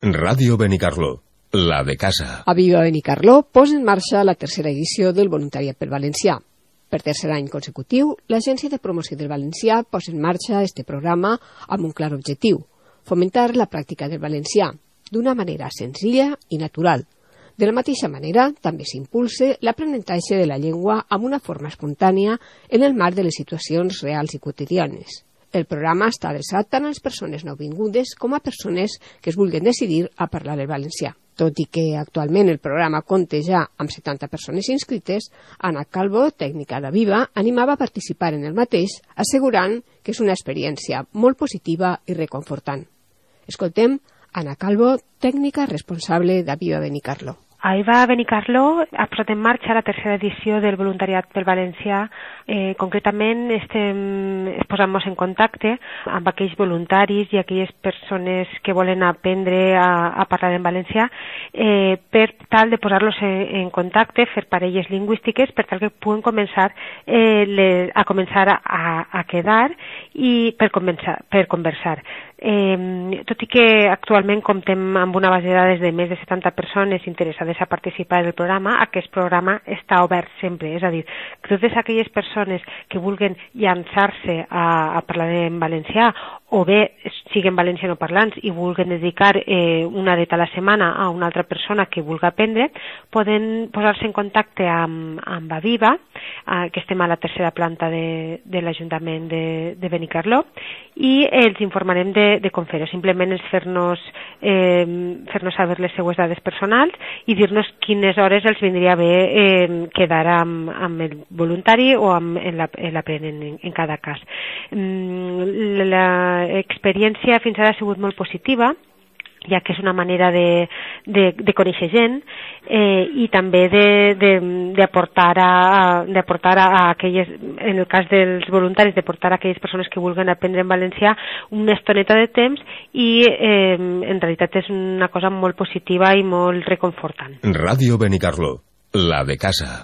Ràdio Benicarló, la de casa. A Viva Benicarló posa en marxa la tercera edició del Voluntariat pel Valencià. Per tercer any consecutiu, l'Agència de Promoció del Valencià posa en marxa este programa amb un clar objectiu: fomentar la pràctica del valencià d'una manera senzilla i natural. De la mateixa manera, també s'impulsa l'aprenentatge de la llengua amb una forma espontània en el marc de les situacions reals i quotidianes. El programa està adreçat tant a les persones nouvingudes com a persones que es vulguin decidir a parlar el valencià. Tot i que actualment el programa compta ja amb 70 persones inscrites, Ana Calvo, tècnica de Viva, animava a participar en el mateix, assegurant que és una experiència molt positiva i reconfortant. Escoltem Ana Calvo, tècnica responsable de Viva Benicarló. A Viva Benicarló ha posat en marxa la tercera edició del Voluntariat pel Valencià. Concretament posant-nos en contacte amb aquells voluntaris i aquelles persones que volen aprendre a parlar en valencià per tal de posar-los en contacte, fer parelles lingüístiques, per tal que puguen començar a quedar i per conversar. Tot i que actualment comptem amb una base de dades de més de 70 persones interessades a participar en el programa, aquest programa està obert sempre, és a dir, que totes aquelles persones que vulguen llançar-se a parlar en valencià o bé siguin valencianoparlants i vulguen dedicar una horeta a la setmana a una altra persona que vulgui aprendre, poden posar-se en contacte amb Aviva, que estem a la tercera planta de l'Ajuntament de Benicarló, i els informarem de com fer-ho. Simplement és fer-nos saber les seues dades personals i dir-nos quines hores els vindria bé quedar amb el voluntari o en l'aprenent en cada cas. L'experiència fins ara ha sigut molt positiva, ja que és una manera de conèixer gent i també d'aportar a aquelles, en el cas dels voluntaris, de portar a aquelles persones que vulguen aprendre en valencià una estoneta de temps i en realitat és una cosa molt positiva i molt reconfortant. Ràdio Benicarló, la de casa.